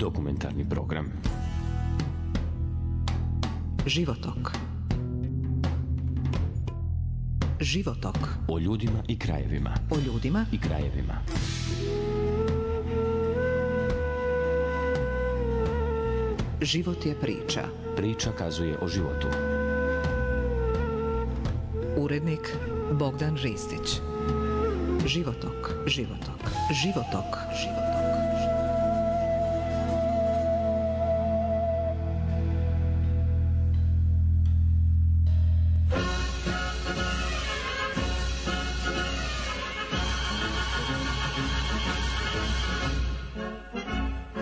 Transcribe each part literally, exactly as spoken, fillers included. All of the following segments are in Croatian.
Dokumentarni program. Životok. Životok. O ljudima i krajevima. O ljudima i krajevima. Život je priča. Priča kazuje o životu. Urednik Bogdan Ristić. Životok, životok, životok, životok.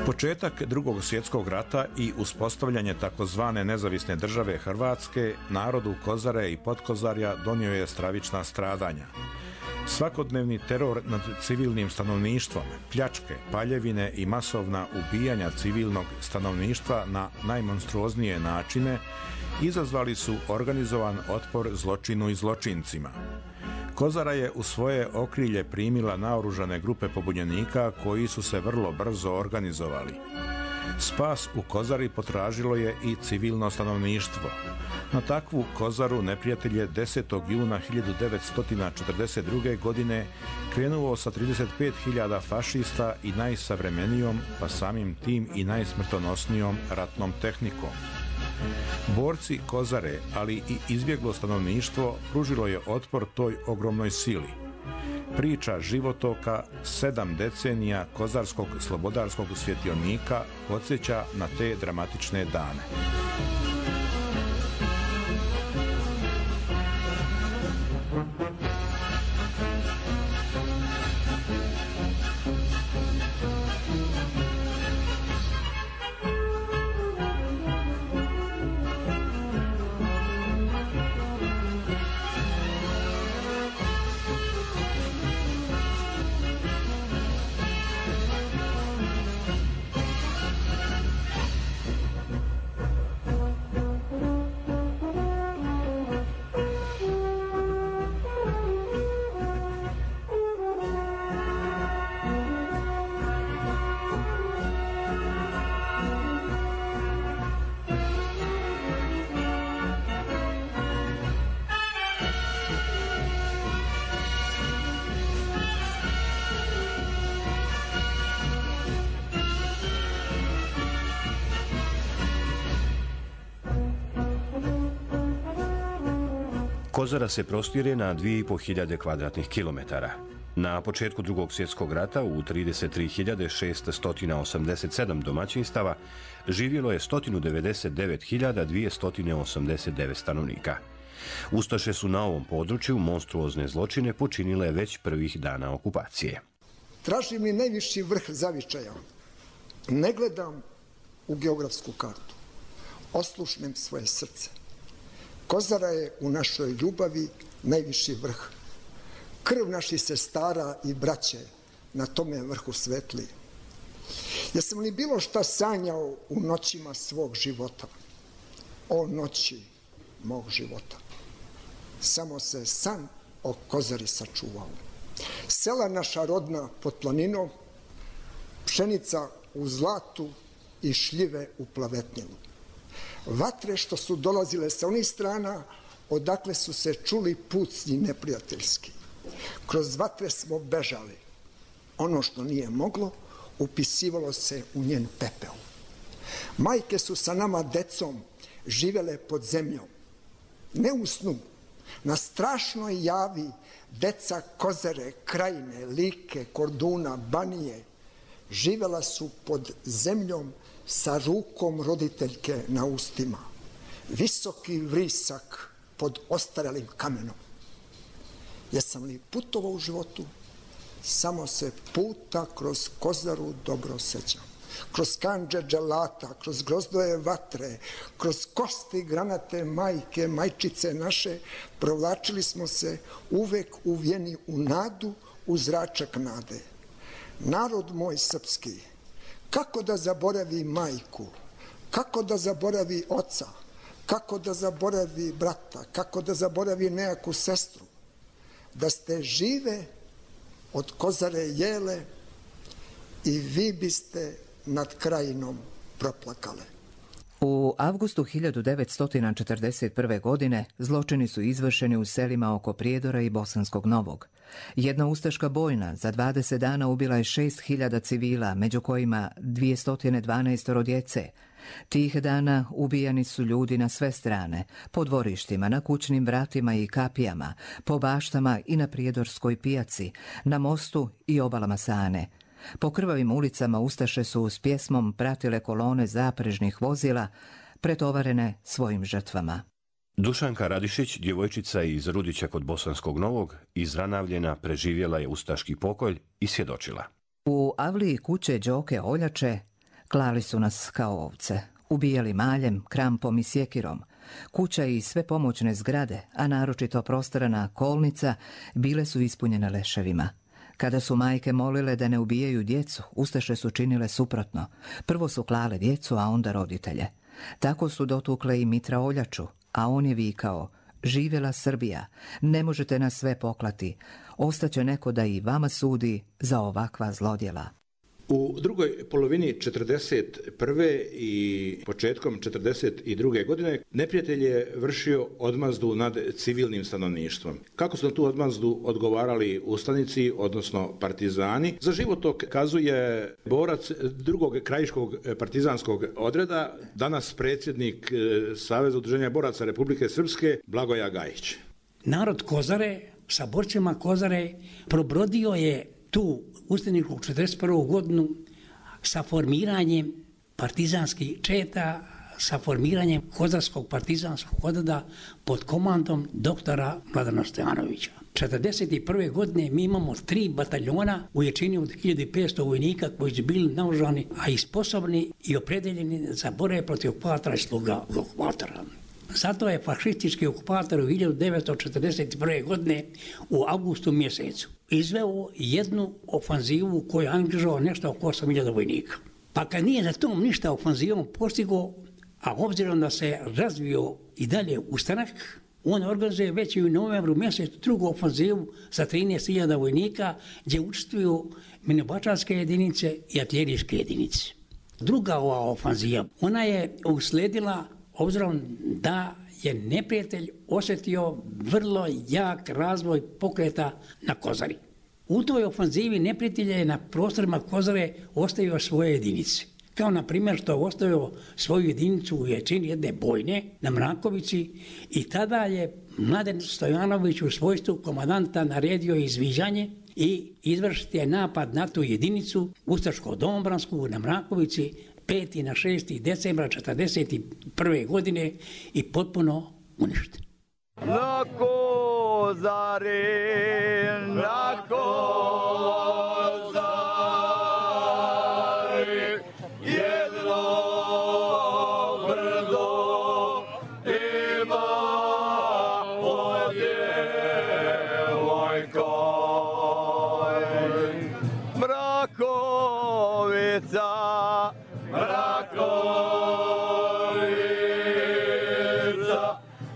Početak Drugog svjetskog rata i uspostavljanje takozvane nezavisne države Hrvatske narodu Kozare i Potkozarja donio je stravična stradanja. Svakodnevni teror nad civilnim stanovništvom, pljačke, paljevine i masovna ubijanja civilnog stanovništva na najmonstruoznije načine izazvali su organizovan otpor zločinu i zločincima. Kozara je u svoje okrilje primila naoružane grupe pobunjenika koji su se vrlo brzo organizovali. Spas u Kozari potražilo je i civilno stanovništvo. Na takvu Kozaru neprijatelj je desetog juna hiljadu devetsto četrdeset druge. godine krenuo sa trideset pet hiljada fašista i najsavremenijom, pa samim tim i najsmrtonosnijom ratnom tehnikom. Borci Kozare, ali i izbjeglo stanovništvo, pružilo je otpor toj ogromnoj sili. Priča životoka sedam decenija kozarskog slobodarskog svjetionika podsjeća na te dramatične dane. Kozara se prostire na dvije i po hiljade kvadratnih kilometara. Na početku Drugog svjetskog rata u trideset tri hiljade šesto osamdeset sedam domaćinstava živjelo je sto devedeset devet hiljada dvjesto osamdeset devet stanovnika. Ustaše su na ovom području monstruozne zločine počinile već prvih dana okupacije. Tražim li najviši vrh zavičaja, ne gledam u geografsku kartu, oslušnem svoje srce. Kozara je u našoj ljubavi najviši vrh. Krv naših sestara i braće na tome vrhu svetli. Jesam li bilo šta sanjao u noćima svog života? O noći mog života. Samo se san o Kozari sačuvao. Sela naša rodna pod planinom, pšenica u zlatu i šljive u plavetnjelu. Vatre što su dolazile sa onih strana, odakle su se čuli pucnji neprijateljski. Kroz vatre smo bežali. Ono što nije moglo, upisivalo se u njen pepeo. Majke su sa nama decom živele pod zemljom. Ne u snu, na strašnoj javi deca Kozare, Krajine, Like, Korduna, Banije živela su pod zemljom sa rukom roditeljke na ustima. Visoki vrisak pod ostarelim kamenom. Jesam li putovao u životu? Samo se puta kroz Kozaru dobro sećam. Kroz kandže dželata, kroz grozdoje vatre, kroz kosti granate majke, majčice naše, provlačili smo se uvek uvijeni u nadu, u zračak nade. Narod moj srpski, kako da zaboravi majku, kako da zaboravi oca, kako da zaboravi brata, kako da zaboravi nejaku sestru, da ste žive od Kozare jele i vi biste nad krajinom proplakale. U avgustu hiljadu devetsto četrdeset prve. godine zločini su izvršeni u selima oko Prijedora i Bosanskog Novog. Jedna ustaška bojna za dvadeset dana ubila je šest hiljada civila, među kojima dvjesto dvanaest djece. Tih dana ubijani su ljudi na sve strane, po dvorištima, na kućnim vratima i kapijama, po baštama i na Prijedorskoj pijaci, na mostu i obalama Sane. Po krvavim ulicama ustaše su s pjesmom pratile kolone zaprežnih vozila, pretovarene svojim žrtvama. Dušanka Radišić, djevojčica iz Rudića kod Bosanskog Novog, izranavljena, preživjela je ustaški pokolj i svjedočila. U avliji kuće Đoke Oljače klali su nas kao ovce, ubijali maljem, krampom i sjekirom. Kuća i sve pomoćne zgrade, a naročito prostorana kolnica, bile su ispunjene leševima. Kada su majke molile da ne ubijaju djecu, ustaše su činile suprotno. Prvo su klale djecu, a onda roditelje. Tako su dotukle i Mitra Oljaču, a on je vikao: živjela Srbija, ne možete nas sve poklati, ostaće neko da i vama sudi za ovakva zlodjela. U drugoj polovini četrdeset prve i početkom četrdeset druge. godine neprijatelj je vršio odmazdu nad civilnim stanovništvom. Kako su na tu odmazdu odgovarali ustanici, odnosno partizani? Za životok kazuje borac drugog krajiškog partizanskog odreda, danas predsjednik Saveza udruženja boraca Republike Srpske, Blagoja Gajić. Narod Kozare sa borcima Kozare probrodio je tu ustaničku četrdeset prvu. godinu sa formiranjem partizanskih četa, sa formiranjem Kozarskog partizanskog odreda pod komandom doktora Mladena Stojanovića. četrdeset prve. godine mi imamo tri bataljona u jačini od hiljadu petsto vojnika koji su bili naoružani, a i sposobni i opredeljeni za borbe protiv okupatora i sluga okupatora. Zato je fašistički okupator u hiljadu devetsto četrdeset prve. godine u avgustu mjesecu izveo jednu ofanzivu koju je angažovao nešto oko osam hiljada vojnika. Pa kad nije za tom ništa ofanzivom postigao, a obzirom da se razvio i dalje ustanak, on organizuje već i u novembru mjesecu drugu ofanzivu sa trinaest hiljada vojnika gdje učestvuju minobačarske jedinice i artiljerijske jedinice. Druga ova ofanziva, ona je usledila obzirom da je neprijatelj osjetio vrlo jak razvoj pokreta na Kozari. U toj ofanzivi neprijatelj je na prostorima Kozare ostavio svoje jedinice. Kao na primjer što je ostavio svoju jedinicu u jačini jedne bojne na Mrakovici i tada je Mladen Stojanović u svojstvu komandanta naredio izviđanje i izvršiti je napad na tu jedinicu Ustaško-Domobransku na Mrakovici peti na šesti decembra četrdeset prve. godine i potpuno uništen. Na Kozari, na Kozari, jedno brdo ima od djevojka. Mrakovica, Mrakovica,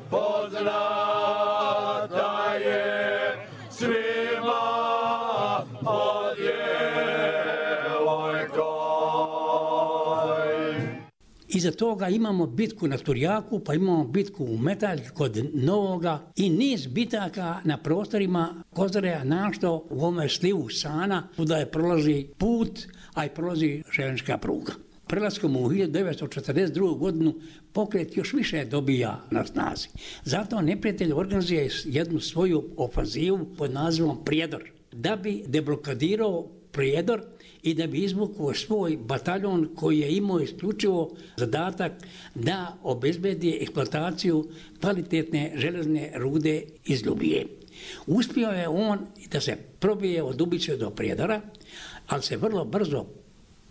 poznata je svima od djevojka. Iza toga imamo bitku na Turjaku, pa imamo bitku u Metalj kod Novoga i niz bitaka na prostorima Kozare, našto u ovome slivu Sana, kuda je prolazi put, a i prolazi željeznička pruga. Prelaskom u hiljadu devetsto četrdeset drugu. godinu pokret još više dobija na snazi. Zato neprijatelj organizuje jednu svoju ofanzivu pod nazivom Prijedor, da bi deblokadirao Prijedor i da bi izvukao svoj bataljon koji je imao isključivo zadatak da obezbedi eksploataciju kvalitetne železne rude iz Ljubije. Uspio je on da se probije od Ubice do Prijedora, ali se vrlo brzo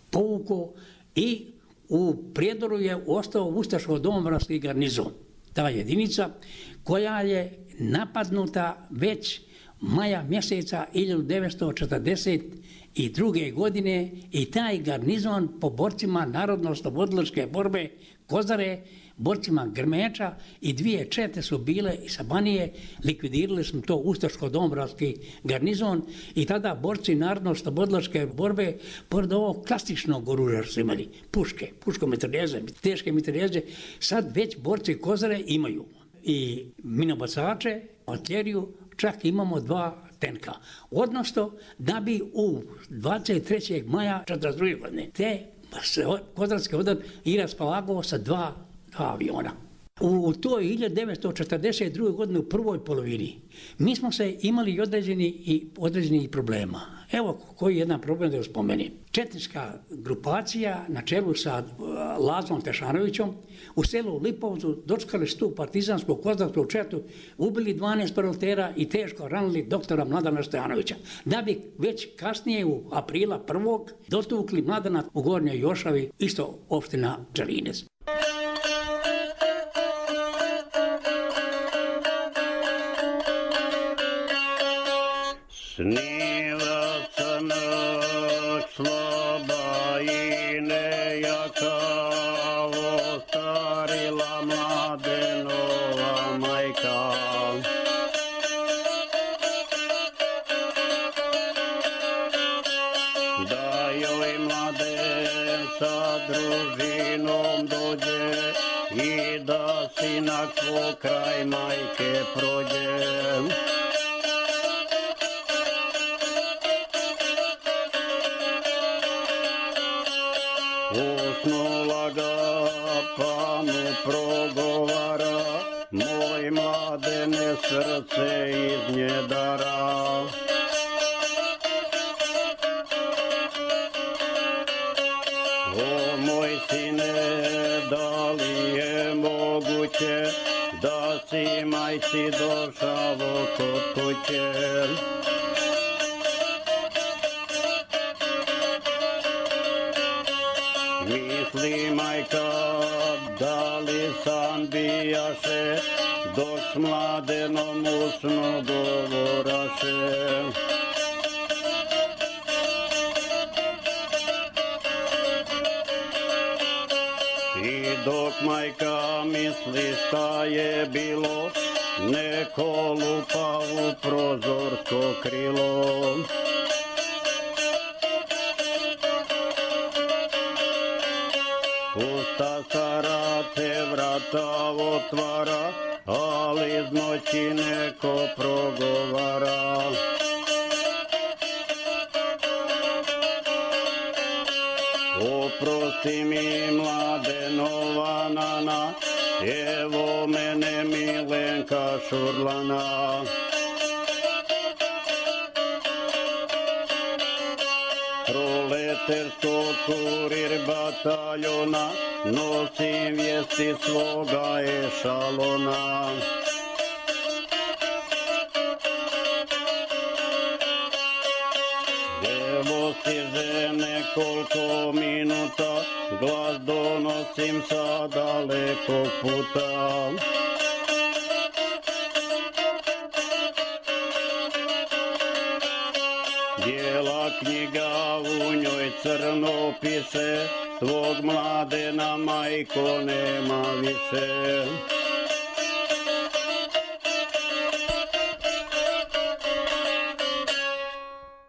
povukao i u Prijedoru je ostao Ustaško-Domobranski garnizon. Ta jedinica koja je napadnuta već maja mjeseca hiljadu devetsto četrdeset druge. godine i taj garnizon po borcima Narodno-oslobodilačke borbe Kozare borcima Grmeča i dvije čete su bile sa Banije, likvidirali smo to ustaško-domobranski garnizon i tada borci narodno-slobodilačke borbe, pored ovog klasičnog oružja su imali, puške, puško-mitraljeze, teške mitraljeze, sad već borci Kozare imaju i minobacače, artiljeriju, čak imamo dva tenka. Odnosno, da bi u dvadeset trećeg maja četrdeset druge godine te kozarske odred i raspolagao sa dva, dva aviona. U toj hiljadu devetsto četrdeset druge godine u prvoj polovini mi smo se imali određeni i određenih problema. Evo koji je jedan problem da spomenem. Četnička grupacija na čelu sa Lazom Tešanovićom u selu Lipovcu dočekali su tu partizansku kozarsku četu, ubili dvanaest proletaira i teško ranili doktora Mladena Stojanovića. Da bi već kasnije u aprila prvog dotukli Mladena u Gornjoj Jošavi, isto opština Čelinec. Sniva crnog sloba i nejaka, ostarila Mladenova majka. Da joj Mladen sa družinom dođe i da sinak pokraj majke prođe. Usnula ga pa mu progovara, moj Mladene srce iz nje dara. O moj sine, da li je moguće da si majci došao kod kuće? Misli majka, da li san bijaše, dok s Mladenom usno govoraše. I dok majka misli šta je bilo, neko lupa u prozorsko krilo. Usta stara te vrata otvara, ali iz noći neko progovara. Oprosti mi Mladenova nana, evo mene Milenka Šurlana. Proleterskog kurir bataljona, nosim vijesti svoga ešalona. Evo stiže nekoliko minuta, glas donosim sa dalekog puta. Bijela knjiga, u njoj crno piše, tvog Mladena majko nema više.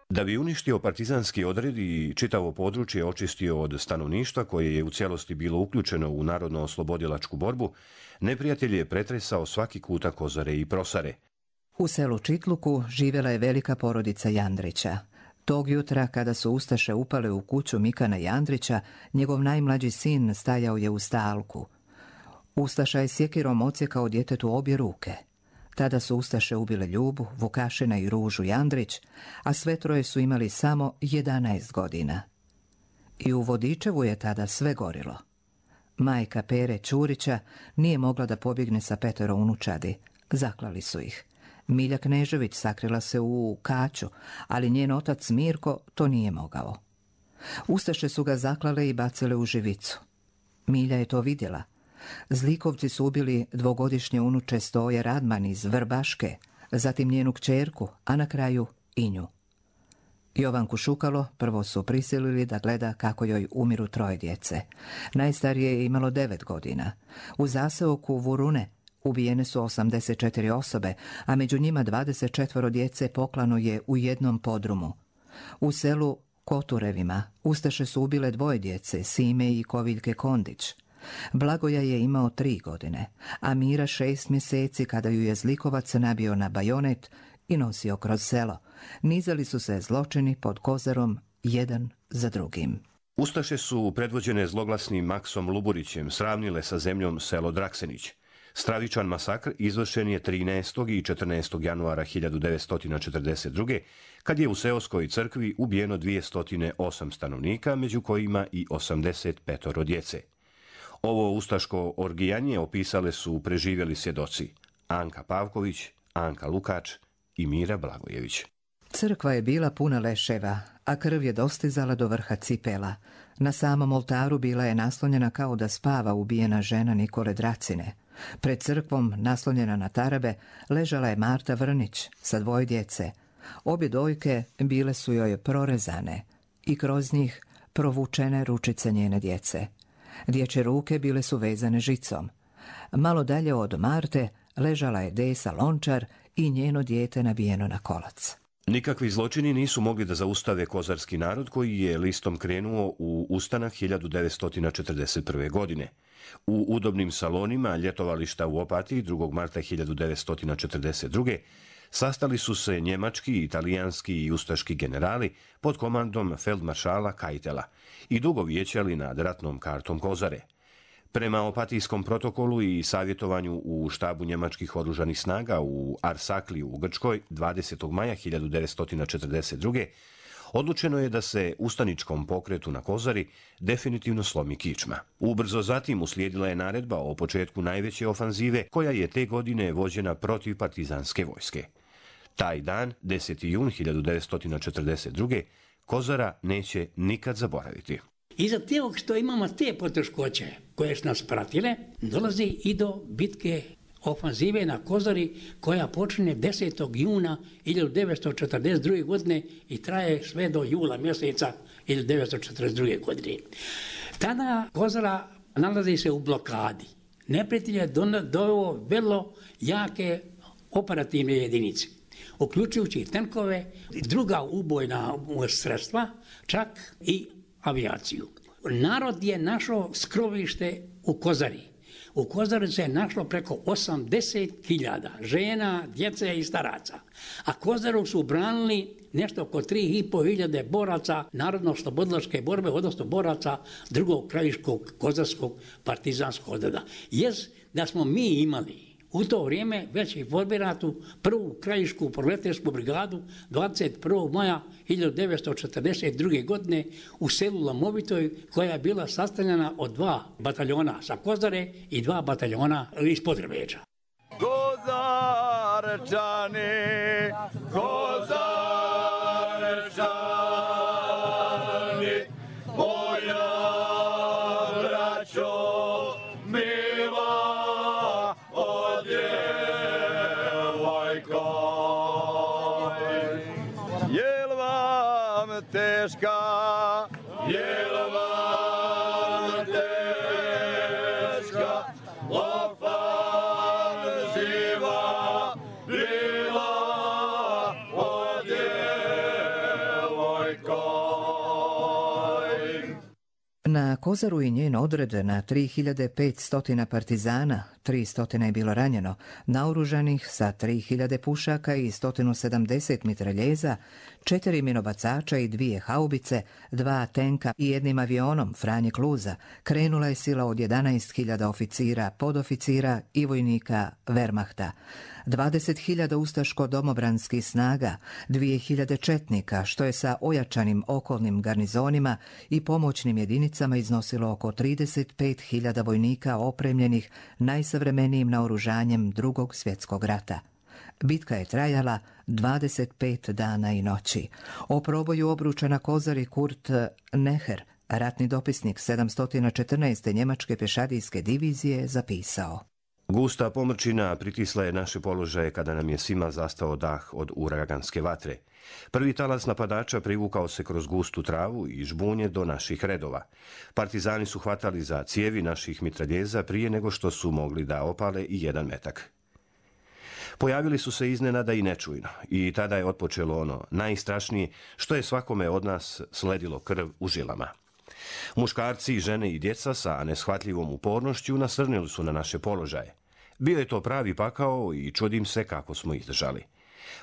Da bi uništio partizanski odred i čitavo područje očistio od stanovništva koje je u cijelosti bilo uključeno u narodno-oslobodilačku borbu, neprijatelj je pretresao svaki kutak Kozare i Prosare. U selu Čitluku živjela je velika porodica Jandrića. Tog jutra, kada su ustaše upale u kuću Mikana Jandrića, njegov najmlađi sin stajao je u stalku. Ustaša je sjekirom odsjekao djetetu obje ruke. Tada su ustaše ubile Ljubu, Vukašina i Ružu Jandrić, a sve troje su imali samo jedanaest godina. I u Vodičevu je tada sve gorilo. Majka Pere Ćurića nije mogla da pobjegne sa petero unučadi. Zaklali su ih. Milja Knežević sakrila se u Kaću, ali njen otac Mirko to nije mogao. Ustaše su ga zaklale i bacile u živicu. Milja je to vidjela. Zlikovci su ubili dvogodišnje unuče Stoje Radman iz Vrbaške, zatim njenu kćerku, a na kraju i nju. Jovanku Šukalo prvo su prisilili da gleda kako joj umiru troje djece. Najstarije je imalo devet godina. U zaseoku Vurune ubijene su osamdeset četiri osobe, a među njima dvadeset četiri djece poklano je u jednom podrumu. U selu Koturevima ustaše su ubile dvoje djece, Sime i Koviljke Kondić. Blagoja je imao tri godine, a Mira šest mjeseci kada ju je zlikovac nabio na bajonet i nosio kroz selo. Nizali su se zločini pod Kozarom jedan za drugim. Ustaše su predvođene zloglasnim Maksom Luburićem sravnile sa zemljom selo Draksenić. Stravičan masakr izvršen je trinaestog i četrnaestog januara hiljadu devetsto četrdeset druge. kad je u seoskoj crkvi ubijeno dvjesto osam stanovnika, među kojima i osamdeset pet djece. Ovo ustaško orgijanje opisale su preživjeli svjedoci Anka Pavković, Anka Lukač i Mira Blagojević. Crkva je bila puna leševa, a krv je dostizala do vrha cipela. Na samom oltaru bila je naslonjena kao da spava ubijena žena Nikole Dracine. Pred crkvom, naslonjena na tarabe, ležala je Marta Vrnić sa dvoje djece. Obje dojke bile su joj prorezane i kroz njih provučene ručice njene djece. Dječje ruke bile su vezane žicom. Malo dalje od Marte ležala je Desa Lončar i njeno dijete nabijeno na kolac. Nikakvi zločini nisu mogli da zaustave kozarski narod koji je listom krenuo u ustanak hiljadu devetsto četrdeset prve. godine. U udobnim salonima ljetovališta u Opatiji drugog marta hiljadu devetsto četrdeset druge. sastali su se njemački, italijanski i ustaški generali pod komandom feldmaršala Kajtela i dugo vijećali nad ratnom kartom Kozare. Prema opatijskom protokolu i savjetovanju u štabu njemačkih oružanih snaga u Arsakliju u Grčkoj dvadesetog maja hiljadu devetsto četrdeset druge. odlučeno je da se ustaničkom pokretu na Kozari definitivno slomi kičma. Ubrzo zatim uslijedila je naredba o početku najveće ofanzive koja je te godine vođena protiv partizanske vojske. Taj dan, deseti jun hiljadu devetsto četrdeset druge. Kozara neće nikad zaboraviti. Iza tog što imamo te poteškoće koje su nas pratile, dolazi i do bitke ofanzive na Kozari koja počinje desetog juna hiljadu devetsto četrdeset druge. godine i traje sve do jula mjeseca hiljadu devetsto četrdeset druge. godine. Tada Kozara nalazi se u blokadi. Neprijatelj je doveo vrlo jake operativne jedinice, uključujući tenkove, druga ubojna sredstva, čak i avijaciju. Narod je našao skrovište u Kozari. U Kozari se je našlo preko osamdeset hiljada žena, djece i staraca. A Kozaru su branili nešto oko tri i pol hiljade boraca narodno-slobodilačke borbe, odnosno boraca drugog krajiškog kozarskog partizanskog odreda. Jest da smo mi imali u to vrijeme već i formiratu prvu krajišku proleteračku brigadu dvadeset prvog maja hiljadu devetsto četrdeset druge. godine u selu Lamovitoj, koja je bila sastavljena od dva bataljona sa Kozare i dva bataljona iz Podrebeča. Kozarčani, Kozarčani, moja braćo mila, o djevojko, jel vam teška, jel vam teška ofanziva bila, o djevojko. Na Kozaru i njen odred na tri hiljade petsto partizana, tristo je bilo ranjeno, naoružanih sa tri hiljade pušaka i sto sedamdeset mitraljeza, četiri minobacača i dvije haubice, dva tenka i jednim avionom Franje Kluza, krenula je sila od jedanaest hiljada oficira, podoficira i vojnika Wehrmachta. dvadeset hiljada ustaško-domobranskih snaga, dvije hiljade četnika, što je sa ojačanim okolnim garnizonima i pomoćnim jedinicama iznosilo oko trideset pet hiljada vojnika opremljenih najsavremenijim naoružanjem Drugog svjetskog rata. Bitka je trajala dvadeset pet dana i noći. O proboju obruča na Kozari Kurt Neher, ratni dopisnik sedamsto četrnaeste njemačke pješadijske divizije, zapisao: Gusta pomrčina pritisla je naše položaje kada nam je svima zastao dah od uraganske vatre. Prvi talas napadača privukao se kroz gustu travu i žbunje do naših redova. Partizani su hvatali za cijevi naših mitraljeza prije nego što su mogli da opale i jedan metak. Pojavili su se iznenada i nečujno i tada je otpočelo ono najstrašnije što je svakome od nas sledilo krv u žilama. Muškarci, žene i djeca sa neshvatljivom upornošću nasrnili su na naše položaje. Bio je to pravi pakao i čudim se kako smo izdržali.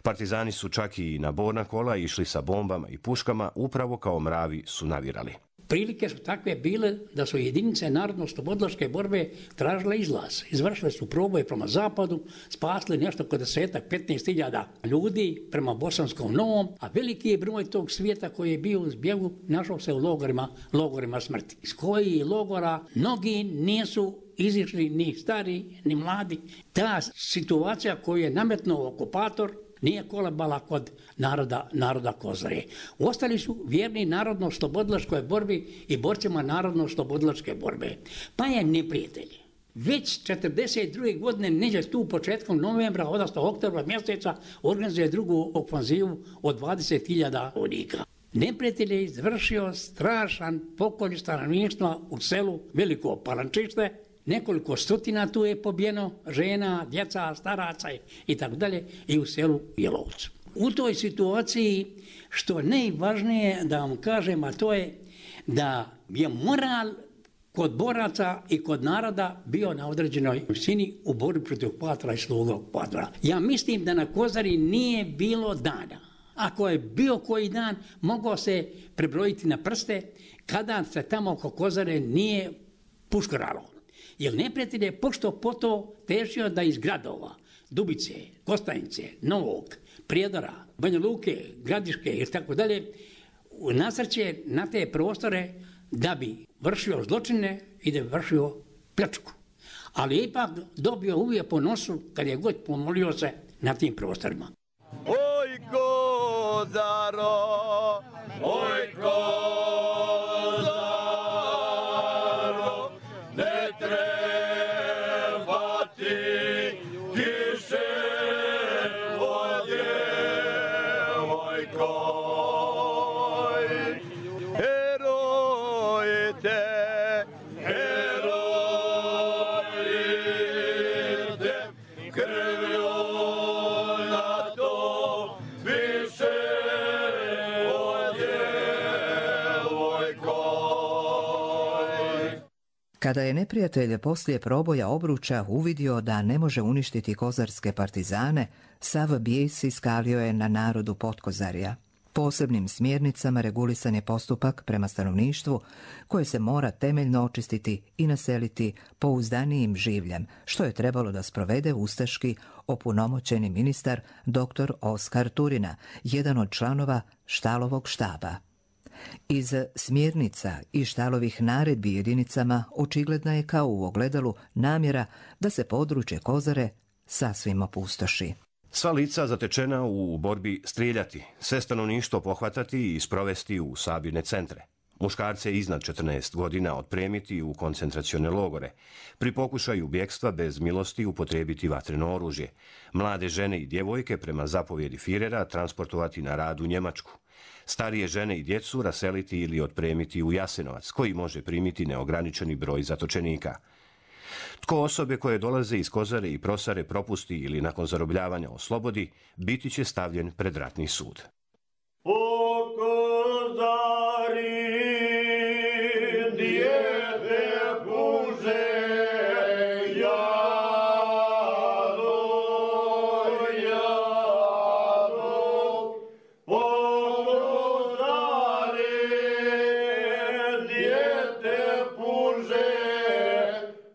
Partizani su čak i na borna kola išli sa bombama i puškama, upravo kao mravi su navirali. Prilike su takve bile da su jedinice narodno-oslobodilačke borbe tražile izlaz. Izvršile su proboje prema zapadu, spasili nešto kod desetak, petnaest hiljada ljudi prema Bosanskom Novom, a veliki je broj tog svijeta koji je bio u zbjegu našao se u logorima, logorima smrti. Iz kojih logora mnogi nisu izišli ni stari, ni mladi. Ta situacija koju je nametnuo okupator nije kolebala kod naroda, naroda Kozare. Ostali su vjerni narodno-oslobodilačkoj borbi i borcima narodno-oslobodilačke borbe. Pa je neprijatelj već četrdeset druge godine, neđe tu početkom novembra, odnosno oktobra mjeseca, organizuje drugu ofanzivu od dvadeset hiljada vojnika. Neprijatelj je izvršio strašan pokolj stanovništva u selu Veliko Palančište. Nekoliko stotina tu je pobijeno, žena, djeca, staraca i tako dalje, i u selu Jelovcu. U toj situaciji, što najvažnije da vam kažem, a to je da je moral kod boraca i kod naroda bio na određenoj visini u borbi protiv okupatora i sluga okupatora. Ja mislim da na Kozari nije bilo dana. Ako je bio koji dan, mogao se prebrojiti na prste kada se tamo oko Kozare nije puškaralo. Jer neprijatelj je pošto poto tešio da iz gradova, Dubice, Kostajnice, Novog, Prijedora, Banja Luke, Gradiške i tako dalje, nasrće na te prostore da bi vršio zločine i da bi vršio pljačku. Ali je ipak dobio uvijek po nosu kad je god pomolio se na tim prostorima. Oj Kozaro, oj Kozaro, ne treba ti kiše vode, oj koj. Herojite, herojite, krvju na to više vode, oj koj. Kada je neprijatelj poslije proboja obruča uvidio da ne može uništiti kozarske partizane, sav bijes iskalio je na narodu Potkozarja. Posebnim smjernicama regulisan je postupak prema stanovništvu koje se mora temeljno očistiti i naseliti pouzdanijim življem, što je trebalo da sprovede ustaški opunomoćeni ministar dr. Oskar Turina, jedan od članova Štalovog štaba. Iz smjernica i Štalovih naredbi jedinicama očigledna je kao u ogledalu namjera da se područje Kozare sasvim opustoši. Sva lica zatečena u borbi strijeljati, sve stanovništvo pohvatati i sprovesti u sabirne centre. Muškarce iznad četrnaest godina otpremiti u koncentracione logore. Pri pokušaju bjekstva bez milosti upotrijebiti vatreno oružje. Mlade žene i djevojke prema zapovjedi Firera transportovati na rad u Njemačku. Starije žene i djecu raseliti ili otpremiti u Jasenovac, koji može primiti neograničeni broj zatočenika. Tko osobe koje dolaze iz Kozare i Prosare propusti ili nakon zarobljavanja oslobodi, biti će stavljen pred ratni sud. O Kozari, dijete Bože, jado, jado, o Kozari, dijete Bože,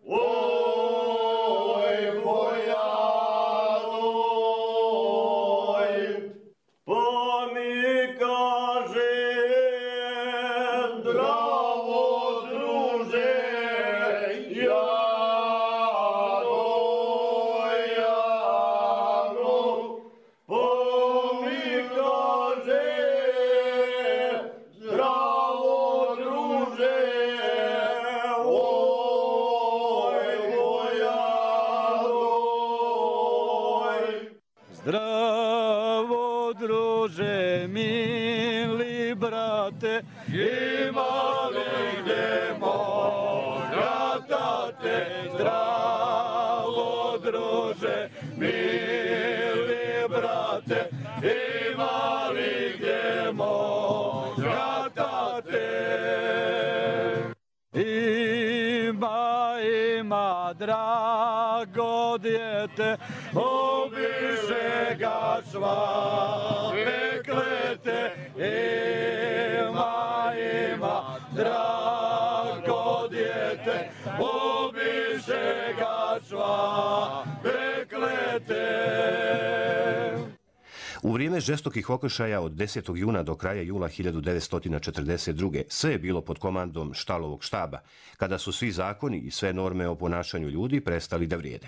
oj bojadoj, po zdravo druže, mili brate, ima li gde moja tate, zdravo druže, mili brate, ima li gde moja tate. Ima, ima, drago djete, obiše ga svake klete. Ima, ima, drago djete, obiše ga svake klete. U vrijeme žestokih okršaja od desetog juna do kraja jula hiljadu devetsto četrdeset druge. sve je bilo pod komandom Štalovog štaba, kada su svi zakoni i sve norme o ponašanju ljudi prestali da vrijede.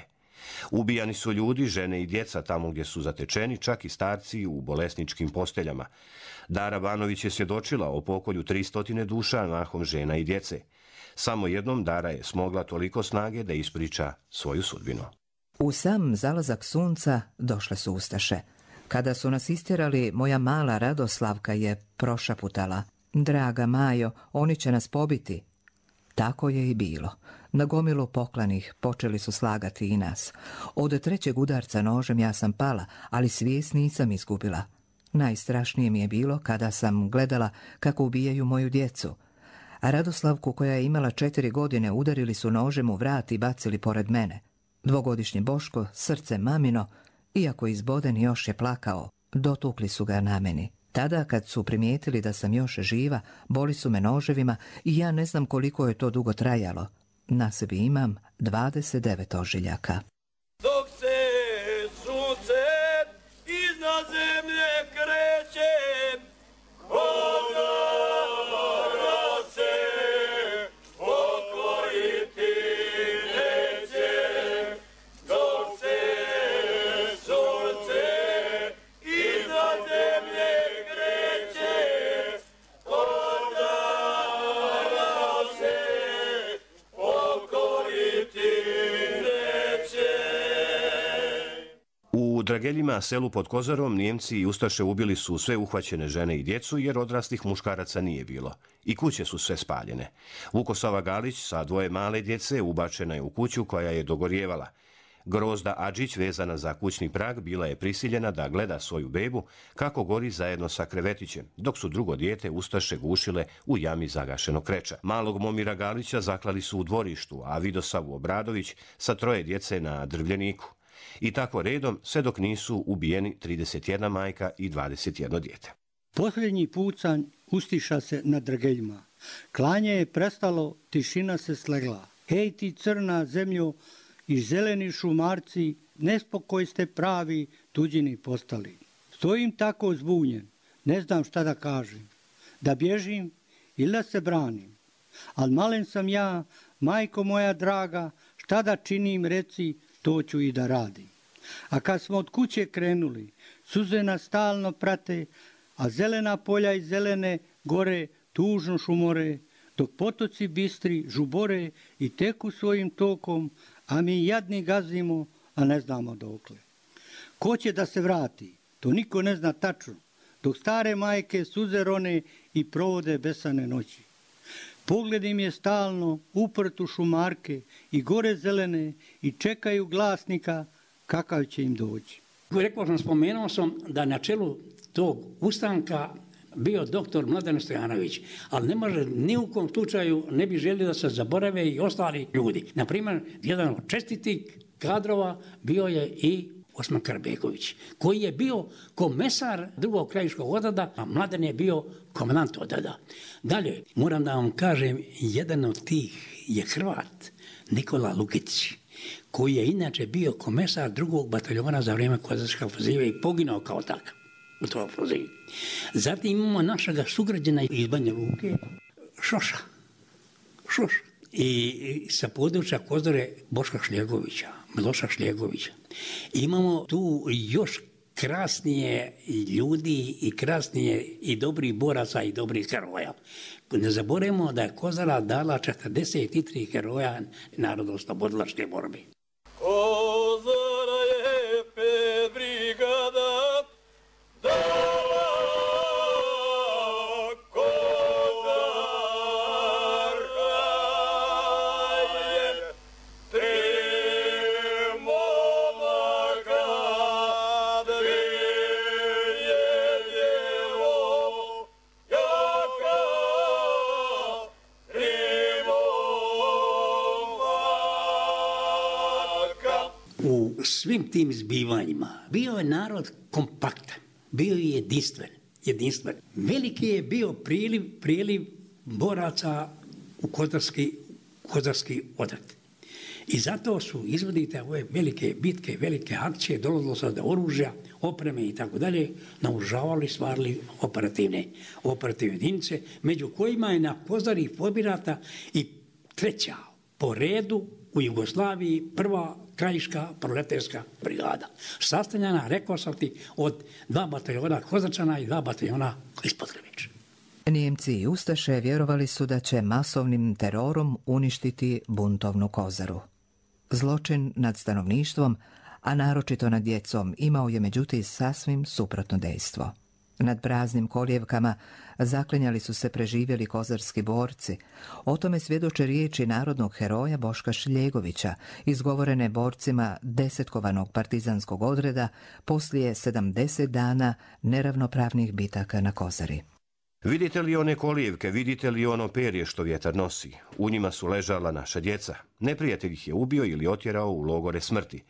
Ubijani su ljudi, žene i djeca tamo gdje su zatečeni, čak i starci u bolesničkim posteljama. Dara Banović je svjedočila o pokolju tristo duša, mahom žena i djece. Samo jednom Dara je smogla toliko snage da ispriča svoju sudbinu. U sam zalazak sunca došle su ustaše. Kada su nas istjerali, moja mala Radoslavka je prošaputala: draga Majo, oni će nas pobiti. Tako je i bilo. Na gomilu poklanih počeli su slagati i nas. Od trećeg udarca nožem ja sam pala, ali svijest nisam izgubila. Najstrašnije mi je bilo kada sam gledala kako ubijaju moju djecu. A Radoslavku, koja je imala četiri godine, udarili su nožem u vrat i bacili pored mene. Dvogodišnji Boško, srce mamino, iako izboden, još je plakao. Dotukli su ga na meni. Tada, kad su primijetili da sam još živa, boli su me noževima i ja ne znam koliko je to dugo trajalo. Na sebi imam dvadeset devet ožiljaka. Dok se sunce iznad zemlje kreće, ona se pokoriti neće. Dok se sunce iznad zemlje kreće, ona se pokoriti neće. U Drageljima, selu pod Kozarom, Nijemci i ustaše ubili su sve uhvaćene žene i djecu, jer odraslih muškaraca nije bilo. I kuće su sve spaljene. Vukosava Galić sa dvoje male djece ubačena je u kuću koja je dogorjevala. Grozda Adžić, vezana za kućni prag, bila je prisiljena da gleda svoju bebu kako gori zajedno sa krevetićem, dok su drugo dijete ustaše gušile u jami zagašenog kreča. Malog Momira Galića zaklali su u dvorištu, a Vidosavu Obradović sa troje djece na Drvljeniku. I tako redom, sve dok nisu ubijeni trideset jedna majka i dvadeset jedno dijete. Posljednji pucanj ustiša se na Drageljima. Klanje je prestalo, tišina se slegla. Hej ti crna zemljo i zeleni šumarci, nespokoj ste pravi, tuđini postali. Stojim tako zbunjen, ne znam šta da kažem. Da bježim ili da se branim. Al malen sam ja, majko moja draga, šta da činim reci, to ću i da radim. A kad smo od kuće krenuli, suze nas stalno prate, a zelena polja i zelene gore tužno šumore, dok potoci bistri žubore i teku svojim tokom, a mi jadni gazimo, a ne znamo dokle. Ko će da se vrati? To niko ne zna tačno, dok stare majke suze rone i provode besane noći. Pogled im je stalno uprt u šumarke i gore zelene i čekaju glasnika kakav će im doći. Rekao sam, spomenuo sam da na čelu tog ustanka bio doktor Mladen Stojanović, ali ne može ni u kom slučaju, ne bi želio da se zaborave i ostali ljudi. Naprimjer, jedan od čestitih kadrova bio je i Osman Karbeković, koji je bio komesar drugog krajiškog odreda, a Mladen je bio komandant odreda. Dalje, moram da vam kažem, jedan od tih je Hrvat, Nikola Lukić, koji je inače bio komesar drugog bataljona za vrijeme Kozarskog ofanzive i poginao kao takav u toj ofanzivi. Zatim imamo našega sugrađana iz Banja Luke, Šoša. Šoša. I sa područja Kozare Boška Šljegovića, Miloša Šljegovića. Imamo tu još krasnije ljudi i krasnije i dobrih boraca i dobrih heroja. Ne zaboravimo da je Kozara dala četrdeset tri heroja narodnooslobodilačke borbe. Kozara je pet brigada svim tim zbivanjima bio je narod kompaktan, bio je jedinstven, jedinstven. Veliki je bio priliv, priliv boraca u kozarski, kozarski odred. I zato su izvodite ove velike bitke, velike akcije, dolazilo se do oružja, opreme i tako dalje, naoružavali, stvarali operativne, operativne jedinice, među kojima je na Kozari formirata i treća po redu u Jugoslaviji prva krajiška proletarska brigada. Sastavljena, rekao sam ti, od dva bataljona Kozarčana i dva bataljona iz Podgorice. Nijemci i Ustaše vjerovali su da će masovnim terorom uništiti buntovnu Kozaru. Zločin nad stanovništvom, a naročito nad djecom, imao je međutim sasvim suprotno dejstvo. Nad praznim kolijevkama zaklinjali su se preživjeli kozarski borci. O tome svjedoče riječi narodnog heroja Boška Šljegovića, izgovorene borcima desetkovanog partizanskog odreda poslije sedamdeset dana neravnopravnih bitaka na Kozari. Vidite li one kolijevke, vidite li ono perje što vjetar nosi? U njima su ležala naša djeca. Neprijatelj ih je ubio ili otjerao u logore smrti.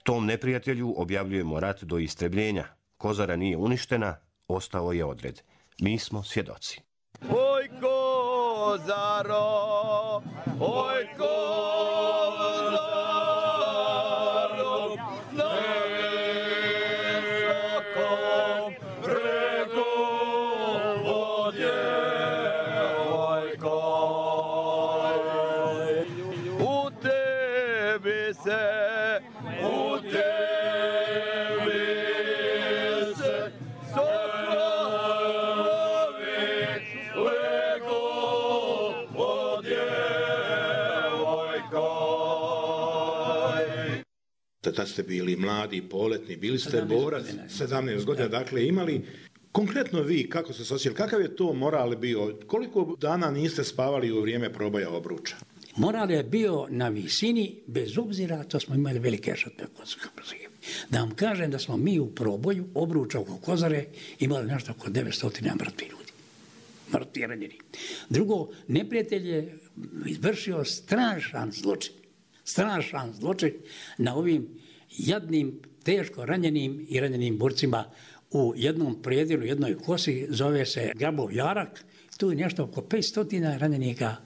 Tom neprijatelju objavljujemo rat do istrebljenja. Kozara nije uništena, ostao je odred. Mi smo svjedoci. Oj Kozaro, oj Kozaro, nesokom preko vodje, ojko. U tebi se, u tebi se, tad ste bili mladi, poletni, bili ste borac, sedamnaest godina, dakle imali. Konkretno vi, kako ste se osjećali, kakav je to moral bio? Koliko dana niste spavali u vrijeme proboja obruča? Moral je bio na visini, bez obzira to smo imali velike žrtve. Da vam kažem da smo mi u proboju obruča oko Kozare imali nešto oko devetsto mrtvih ljudi. Mrtvi ranjeni. Drugo, neprijatelj je izvršio strašan zločin. Strašan zločin na ovim jadnim, teško ranjenim i ranjenim borcima u jednom predjelu, jednoj kosi, zove se Grabov jarak. Tu je nešto oko petsto ranjenika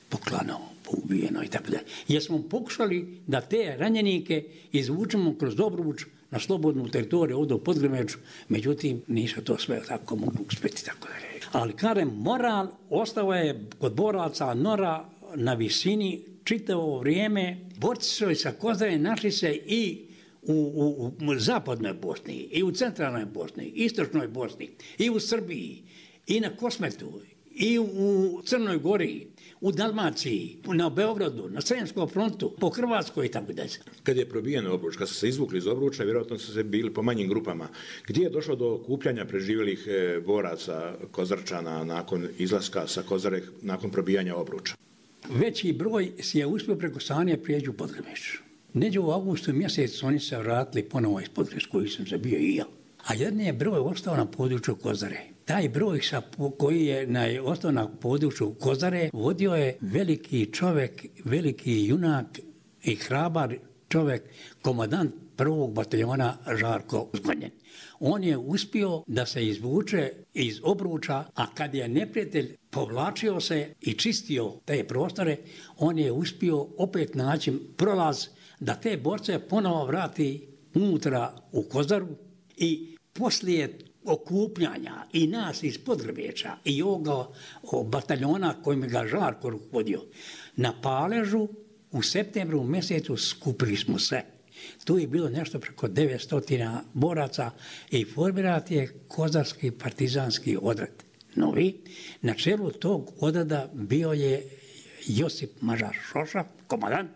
poklano, ubijeno i tako dalje. Jer smo pokušali da te ranjenike izvučemo kroz Obruč na slobodnu teritoriju ovdje u Podgrmeču, međutim nisu to sve tako mogli uspjeti tako dalje. Ali kažem, moral ostao je kod boraca Nora na visini čitavo vrijeme. Borci su sa Kozare našli se i u, u, u zapadnoj Bosni, i u centralnoj Bosni, istočnoj Bosni, i u Srbiji, i na Kosmetu, i u Crnoj Gori, u Dalmaciji, na Beogradu, na Sremskom frontu, po Hrvatskoj i tako dalje. Kad je probijen Obruč, kad su se izvukli iz Obruča, vjerojatno su se bili po manjim grupama. Gdje je došlo do okupljanja preživjelih boraca Kozarčana nakon izlaska sa Kozare, nakon probijanja Obruča? Veći broj si je uspio preko Sanje prijeđu u Podgrmeć. Neđe u augustu mjesecu oni se vratili ponovo iz Podgrmeć, koji sam se bio i ja. A jedan je broj ostao na području Kozare. Taj broj sa, koji je na, ostao na području Kozare vodio je veliki čovjek, veliki junak i hrabar čovjek, komandant prvog bataljona Žarko Zgonjen. On je uspio da se izvuče iz Obruča, a kad je neprijatelj povlačio se i čistio te prostore, on je uspio opet naći prolaz da te borce ponovo vrati unutra u Kozaru i poslije okupljanja i nas iz Podgrmeča i ovoga bataljona kojim ga Žarko rukovodio na Paležu u septembru mjesecu skupili smo se. Tu je bilo nešto preko devetsto boraca i formirat je Kozarski partizanski odred. Novi, na čelu tog odreda bio je Josip Mažar Šoša, komandant,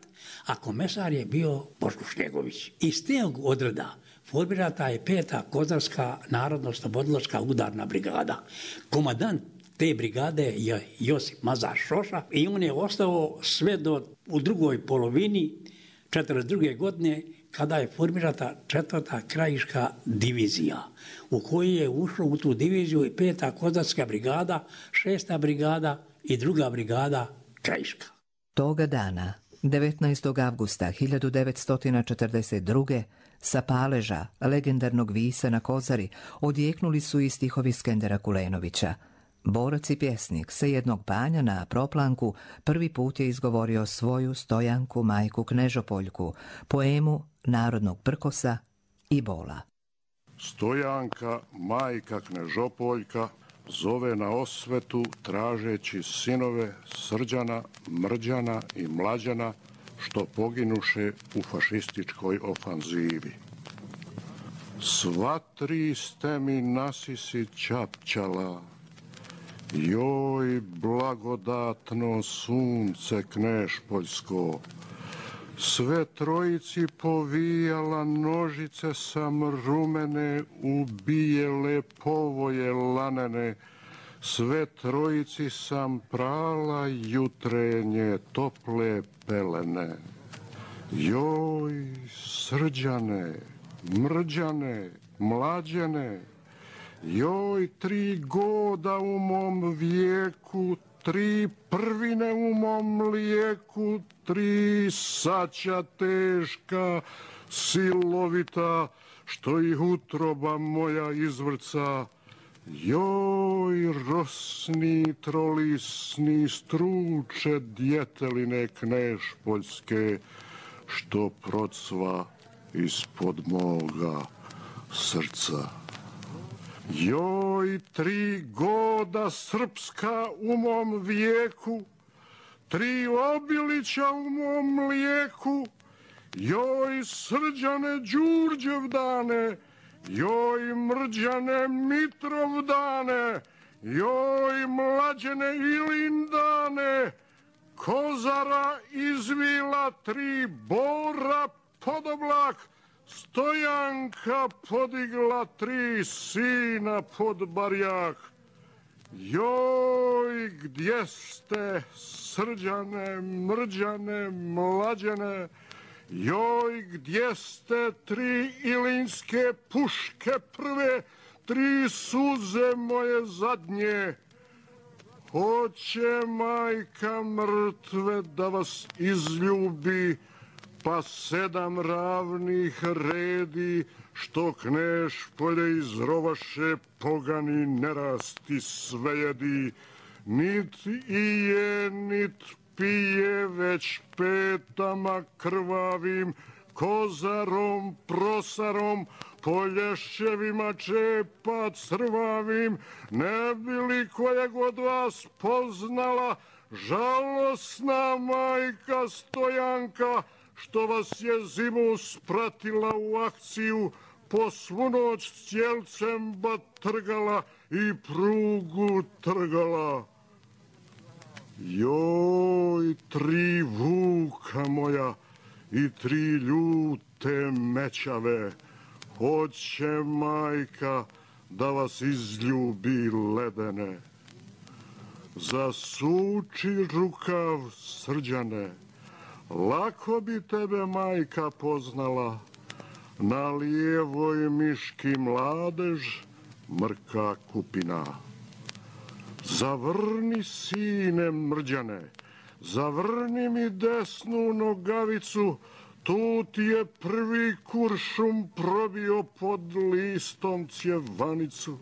a komesar je bio Boško Šljegović. Iz tog odreda formirata je peta Kozarska narodno-slobodilačka udarna brigada. Komandant te brigade je Josip Mažar Šoša i on je ostao sve do u drugoj polovini četrdeset druge godine kada je formirata četvrta krajiška divizija u kojoj je ušlo u tu diviziju i peta Kozarska brigada, šesta brigada i druga brigada krajiška. Toga dana devetnaestog avgusta hiljadu devetsto četrdeset druge. sa paleža legendarnog Visa na Kozari odjeknuli su i stihovi Skendera Kulenovića. Borac i pjesnik sa jednog banja na Proplanku prvi put je izgovorio svoju Stojanku majku Knežopoljku, poemu narodnog prkosa i bola. Stojanka majka Knežopoljka zove na osvetu tražeći sinove Srđana, Mrđana i Mlađana što poginuše u fašističkoj ofanzivi. Sva tri ste mi nasisi čapčala, joj blagodatno sunce Knežpoljsko, sve trojici povijala nožice sam rumene u bijele povoje lanene, sve trojici sam prala jutrenje tople pelene. Joj, Srđane, Mrđane, Mlađene, joj, tri goda u mom vijeku, tri prvine u mom lijeku, tri saća teška, silovita, što ih utroba moja izvrca. Joj, rosni, trolisni, struče djeteline Knežpoljske, što procva ispod moga srca. Joj, tri goda srpska u mom vijeku, tri obilića u mom mlijeku, joj, Srđane Đurđevdane, joj, Mrđane Mitrovdane, joj, Mlađene Ilindane, Kozara izvila tri bora pod oblak, Stojanka podigla tri sina pod barjak. Joj, gdje ste, Srđane, Mrđane, Mlađene, joj, gdje ste tri ilinske puške prve, tri suze moje zadnje. Hoće majka mrtve da vas izljubi, pa sedam ravnih redi, što Knežpolje izrovaše pogani nerasti svejedi. Nit i je, nit pije, već petama krvavim, kozarom, prosarom, polješćevima čepa crvavim, ne bi li kojeg od vas poznala žalosna majka Stojanka, što vas je zimu spratila u akciju, po svu noć cijelcem batrgala i prugu trgala. Joj, tri vuka moja i tri ljute mećave, hoće majka da vas izljubi ledene. Zasuči rukav, Srđane, lako bi tebe majka poznala, na lijevoj miški mladež, mrka kupina. Zavrni, sine Mrđane, zavrni mi desnu nogavicu, tu ti je prvi kuršum probio pod listom cjevanicu.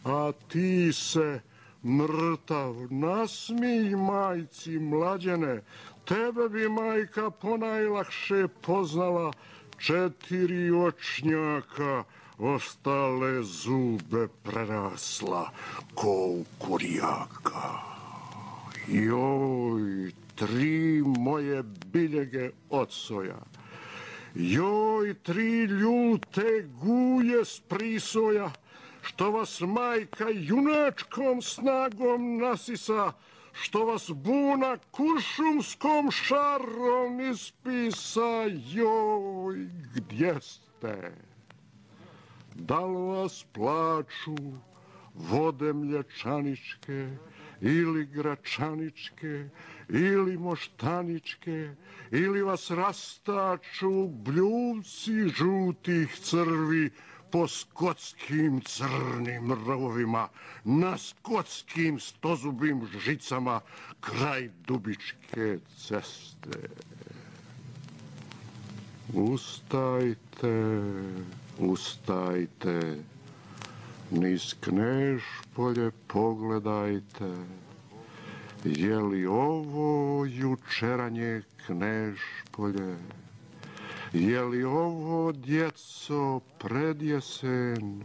A ti se, mrtav, nasmij majci Mlađene, tebe bi majka ponajlakše poznala, četiri očnjaka, ostale zube prerasla ko u kurijaka. Joj, tri moje biljege ocoja, joj, tri ljute guje s prisoja, što vas majka junačkom snagom nasisa, što vas buna kuršumskom šarom ispisa. Joj, gdje ste? Da li vas plaču vode mlječaničke ili gračaničke ili moštaničke, ili vas rastaču bljuvci žutih crvi po skotskim crnim rovima, na skotskim stozubim žicama kraj Dubičke ceste. Ustajte, ustajte, niz Knežpolje pogledajte, je li ovo jučeranje Knežpolje? Je li ovo, djeco, predjesen,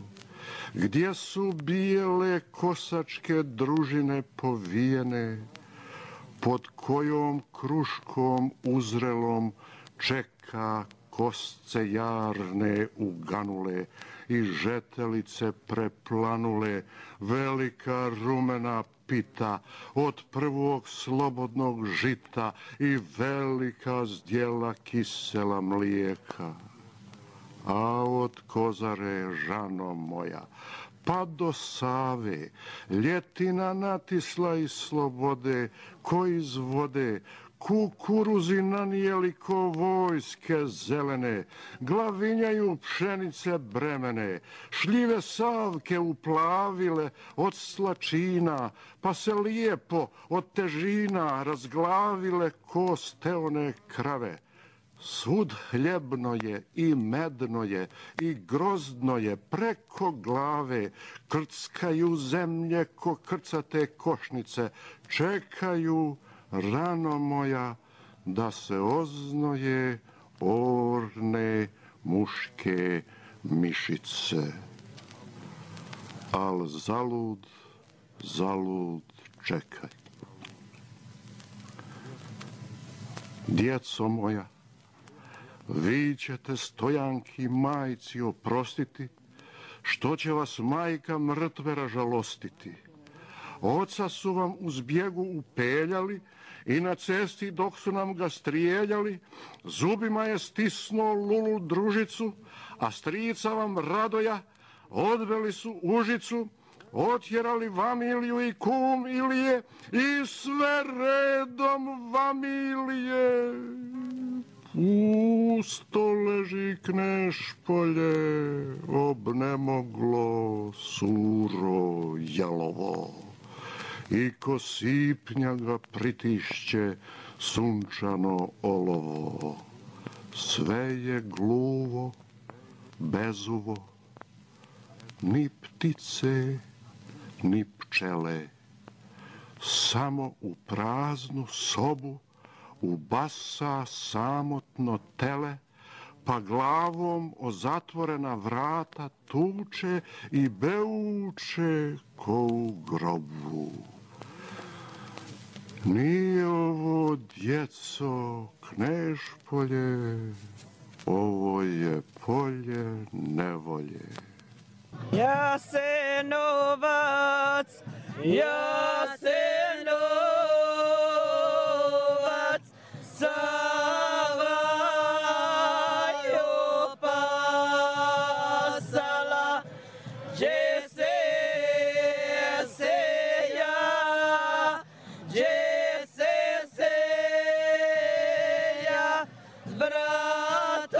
gdje su bijele kosačke družine povijene, pod kojom kruškom uzrelom čeka kosce jarne uganule i žetelice preplanule, velika rumena pita od prvog slobodnog žita i velika zdjela kisela mlijeka. A od Kozare, žano moja, pa do Save, ljetina natisla iz slobode, ko iz vode, kukuruzi nanijeli ko vojske zelene, glavinjaju pšenice bremene, šljive savke uplavile od slačina, pa se lijepo od težina razglavile ko steone krave. Svud hljebno je i medno je i grozdno je preko glave, krckaju zemlje ko krcate košnice, čekaju, rano moja, da se oznoje orne muške mišice. Al zalud, zalud čekaj. Djeco moja, vi ćete stojanki majci oprostiti, što će vas majka mrtve ražalostiti. Oca su vam u zbjegu upeljali i na cesti dok su nam ga strijeljali, zubima je stisnuo lulu družicu, a strica vam Radoja odveli su Užicu, otjerali Vamiliju i kum Ilije i sve redom Vamilije. Pusto leži Knežpolje, obnemoglo, suro, jalovo. I ko sipnja ga pritišće sunčano olovo. Sve je gluvo, bezuvo, ni ptice, ni pčele. Samo u praznu sobu ubasa samotno tele, pa glavom o zatvorena vrata tuče i beuče ko u grobu. Nije ovo, djeco, Knežpolje, ovo je polje nevolje. Jasenovac, Jasenovac, Sava je opasala, gdje se seja, gdje se seja, s bratom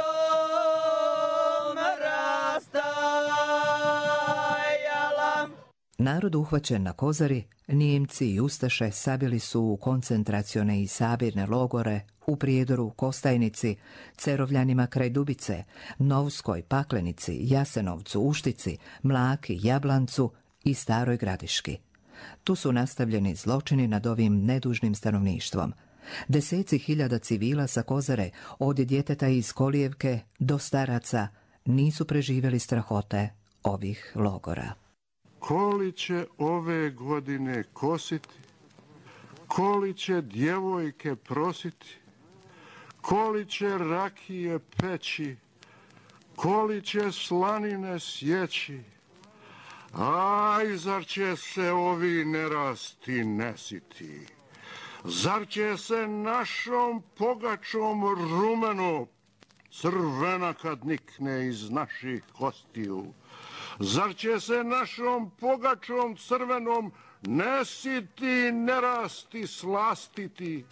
rastajala. Narod uhvaćen na Kozari, Nijemci i Ustaše sabili su u koncentracione i sabirne logore u Prijedoru, Kostajnici, Cerovljanima kraj Dubice, Novskoj, Paklenici, Jasenovcu, Uštici, Mlaki, Jablancu i Staroj Gradiški. Tu su nastavljeni zločini nad ovim nedužnim stanovništvom. Deseci hiljada civila sa Kozare, od djeteta iz Kolijevke do staraca, nisu preživjeli strahote ovih logora. Koli će ove godine kositi, koli će djevojke prositi, koli će rakije peći, koli će slanine sjeći, aj, zar će se ovi nerasti nesiti, zar će se našom pogačom rumeno crvena kad nikne iz naših kostiju, zar će se našom pogačom crvenom nesiti, nerasti, slastiti?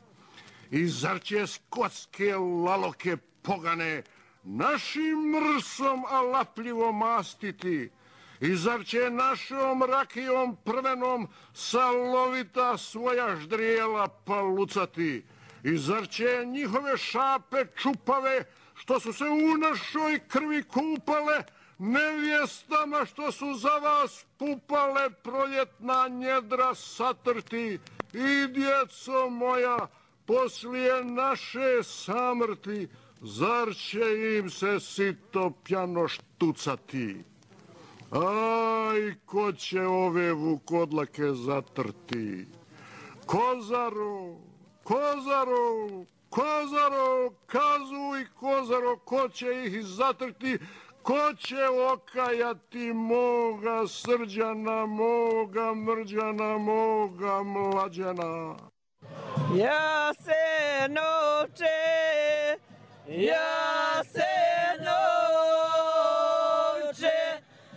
I zar će skotske laloke pogane našim mrsom alapljivo mastiti? I zar će našom rakijom prvenom salovita svoja ždrijela palucati? I zar će njihove šape čupave što su se u našoj krvi kupale, nevjestama što su za vas pupale proljetna njedra satrti i djeco moja, poslije naše samrti, zar će im se sito pjano štucati? Aj, ko će ove vukodlake zatrti? Kozaro, Kozaro, Kozaro, kazuj Kozaro, ko će ih zatrti? Ko će okajati moga Srđana, moga Mrđana, moga Mlađana? Ja se noće, ja se noće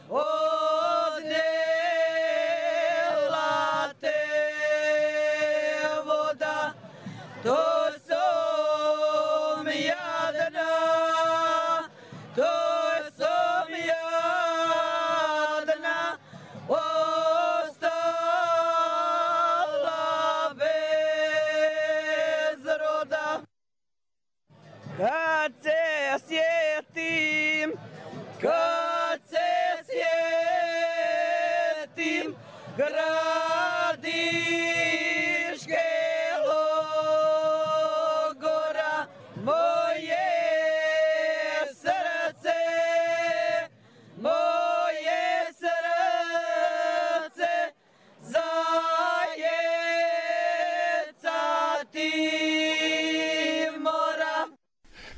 odnela te voda, to sam jadna, to sam jadna, ostala bez roda. Kad se sjetim, kad se sjetim gradiške logora, moje srce, moje srce zajecati mora.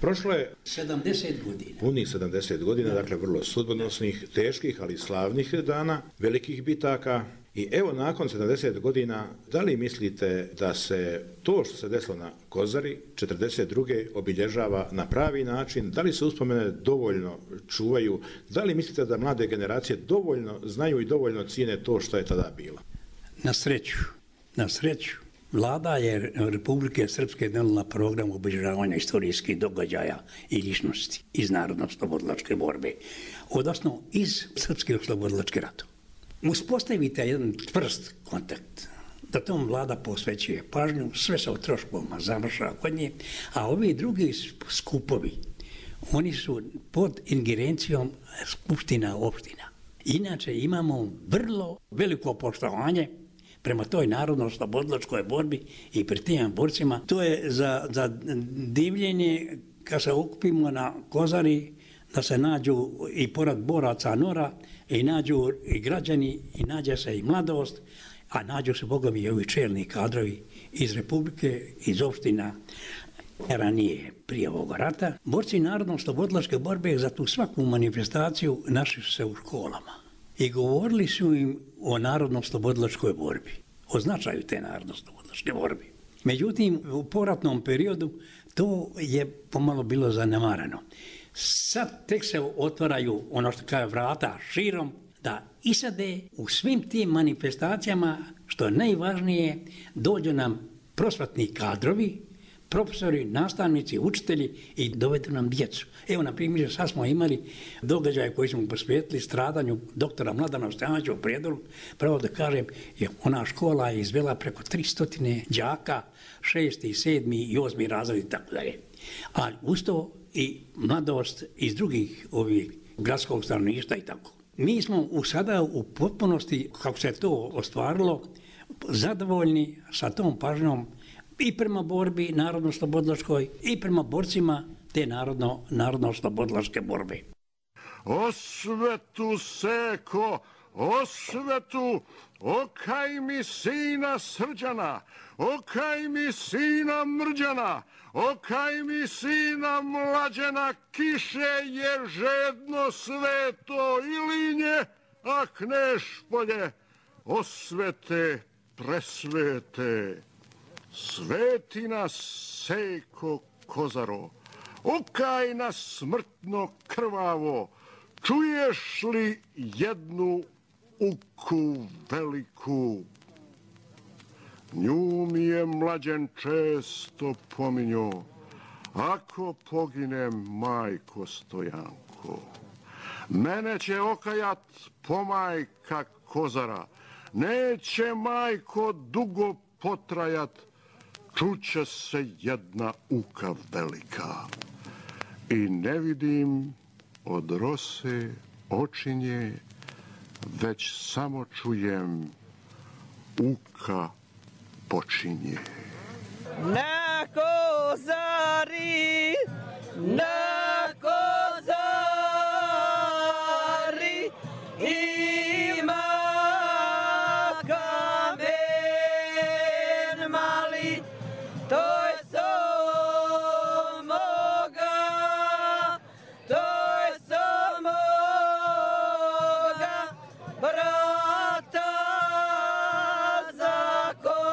Prošlo je sedamdeset godina. Punih sedamdeset godina, dakle vrlo sudbonosnih, teških, ali slavnih dana, velikih bitaka. I evo nakon sedamdeset godina, da li mislite da se to što se desilo na Kozari četrdeset druge obilježava na pravi način? Da li se uspomene dovoljno čuvaju? Da li mislite da mlade generacije dovoljno znaju i dovoljno cijene to što je tada bilo? Na sreću, na sreću. Vlada je Republike Srpske donijela program obilježavanja istorijskih događaja i ličnosti iz narodno-oslobodilačke borbe, odnosno iz Srpske oslobodilačke rata. Uspostavite jedan tvrst kontakt, da tom vlada posvećuje pažnju, sve se o troškovima završava kod nje, a ovi drugi skupovi, oni su pod ingerencijom skupština opština. Inače imamo vrlo veliko poštovanje prema toj narodno-oslobodilačkoj borbi i pred tim borcima. To je za, za divljenje kad se okupimo na Kozari, da se nađu i pored boraca Nora, i nađu i građani, i nađe se i mladost, a nađu se, Boga mi, i ovi čelni kadrovi iz Republike, iz opština ranije, prije ovog rata. Borci narodno-oslobodilačke borbe za tu svaku manifestaciju našli su se u školama i govorili su im o narodno-oslobodilačkoj borbi, o značaju te narodno-oslobodilačke borbe. Međutim, u poratnom periodu to je pomalo bilo zanemareno. Sad tek se otvaraju, ono što kaže, vrata širom, da isade u svim tim manifestacijama, što je najvažnije, dođu nam prosvetni kadrovi, profesori, nastavnici, učitelji i dovedu nam djecu. Evo, na primjer, sad smo imali događaje koji smo posvetili stradanju doktora Mladena Stojanovića u Prijedoru. Pravo da kažem, je ona škola je izvela preko tristo đaka, šesti, sedmi i osmi razred i tako dalje. Ali usto i mladost iz drugih ovih gradskog stanovništva i tako. Mi smo u sada u potpunosti, kako se to ostvarilo, zadovoljni sa tom pažnjom i prema borbi narodno-oslobodilačkoj i prema borcima te narodno, narodno-oslobodilačke borbe. Osvetu seko, osvetu, okaj mi sina Srđana, okaj mi sina Mrđana, okaj mi sina Mlađana, kiše je žedno sveto ilinje, a Knešpolje osvete presvete. Sveti nas seko Kozaro, okaj nas smrtno krvavo, čuješ li jednu uku veliku? Nju mi je Mlađen često pominjo, ako poginem, majko Stojanko, mene će okajat pomajka Kozara, neće, majko, dugo potrajat, čuće se jedna uka velika. i ne vidim od rose očinje, već samo čujem uka počinje. Na kozari, na kozari ima kamen mali, to je samoga, to je samoga brata zakopali.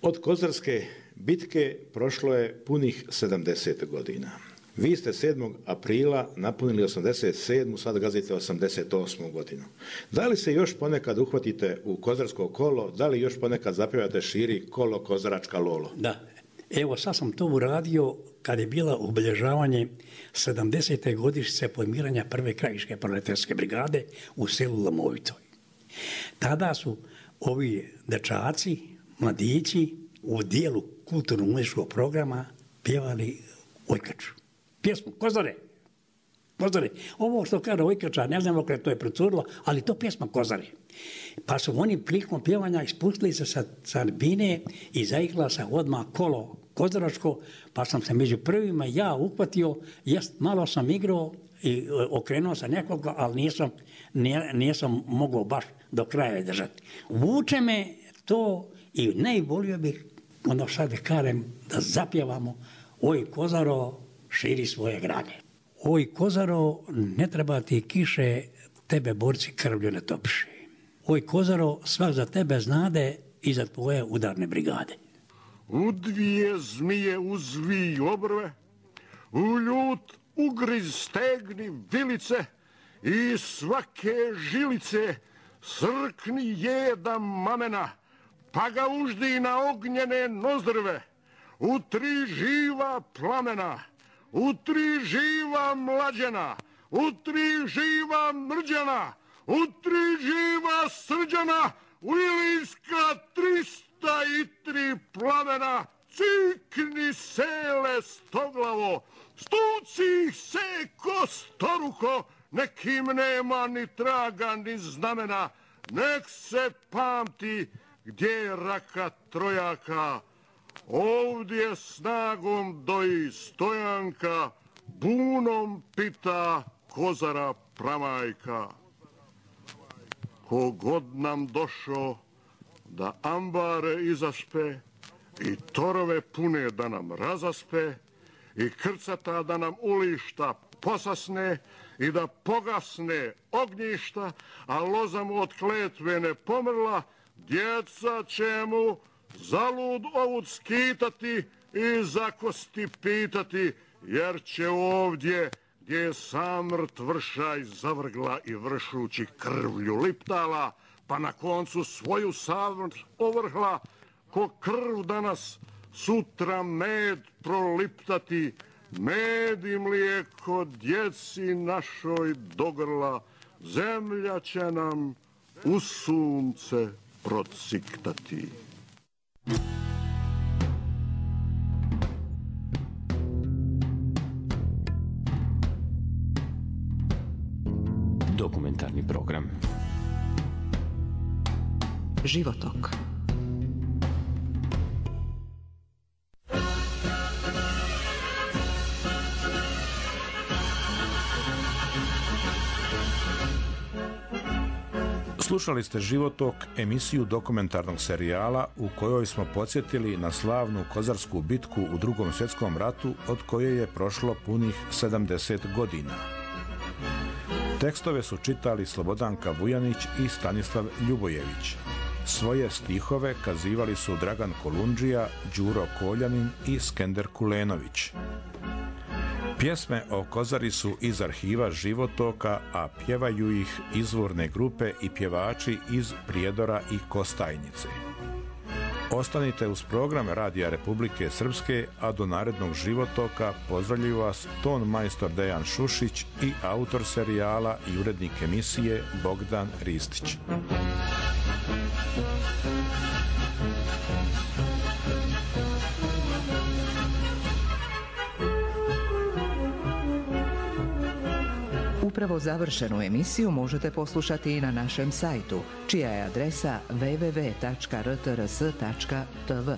Od Kozarske bitke prošlo je punih sedamdeset godina. Vi ste sedmog aprila napunili osamdeset sedmu, sad gazite osamdeset osmu godinu. Da li se još ponekad uhvatite u kozarsko kolo, da li još ponekad zapevate širi kolo kozaračka lolo? Da, evo sad sam to uradio kad je bila obilježavanje sedamdesete godišnjice formiranja prve krajiške proletarske brigade u selu Lomovitoj. Tada su ovi dečaci, mladići u dijelu kulturno-umjetničkog programa pjevali Ojkaču. Pjesmu Kozare. Kozare. Ovo što kaže Ojkača, ne znam kako to je procurilo, ali to pjesma Kozare. Pa su oni prilikom pjevanja ispustili se sa, sa bine i zaigrala se odmah kolo kozaračko, pa sam se među prvima ja uhvatio, jest, malo sam igrao i okrenuo sam nekoga, ali nisam, nije, nisam mogao baš do kraja držati. Vuče me to i najbolio bih, ono sad da kažem, da zapjevamo Oj Kozaro, širi svoje grane. Oj Kozaro, ne treba ti kiše, tebe borci krvlju ne topiše. Oj Kozaro, svak za tebe znade i za tvoje udarne brigade. U dvije zmije uzvi obrve, u ljut ugriz stegni vilice i svake žilice srkni jedan mamena, pa ga uždi na ognjene nozdrve. U tri živa plamena, u tri živa mlađena, u tri živa mrđana, u tri živa srđana, u Ilijska trista i tri plamena, cikni sele stoglavo, stuci se ko storuho, nekim nema ni traga ni znamena, nek se pamti gdje je raka trojaka. Ovdje snagom doji stojanka, bunom pita Kozara pramajka. Kogod nam došo da ambare izaspe i torove pune da nam razaspe i krcata da nam ulišta posasne i da pogasne ognjišta, a lozam od kletve ne pomrla, djeca će mu zalud ovud skitati i za kosti pitati, jer će ovdje gdje je samrt vršaj zavrgla i vršući krvlju liptala, pa na koncu svoju samrt ovrhla, ko krv danas sutra med proliptati, med i mlijeko djeci našoj dogrla, zemlja će nam u sunce prociktati. Dokumentarni program Životok. Slušali ste Životok, emisiju dokumentarnog serijala u kojoj smo podsjetili na slavnu Kozarsku bitku u Drugom svjetskom ratu od koje je prošlo punih sedamdeset godina. Tekstove su čitali Slobodanka Vujanić i Stanislav Ljubojević. Svoje stihove kazivali su Dragan Kolundžija, Đuro Koljanin i Skender Kulenović. Pjesme o Kozari su iz arhiva Životoka, a pjevaju ih izvorne grupe i pjevači iz Prijedora i Kostajnice. Ostanite uz program Radija Republike Srpske, a do narednog Životoka pozdravljaju vas ton majstor Dejan Šušić i autor serijala i urednik emisije Bogdan Ristić. Upravo završenu emisiju možete poslušati i na našem sajtu, čija je adresa w w w tačka r t r s tačka t v.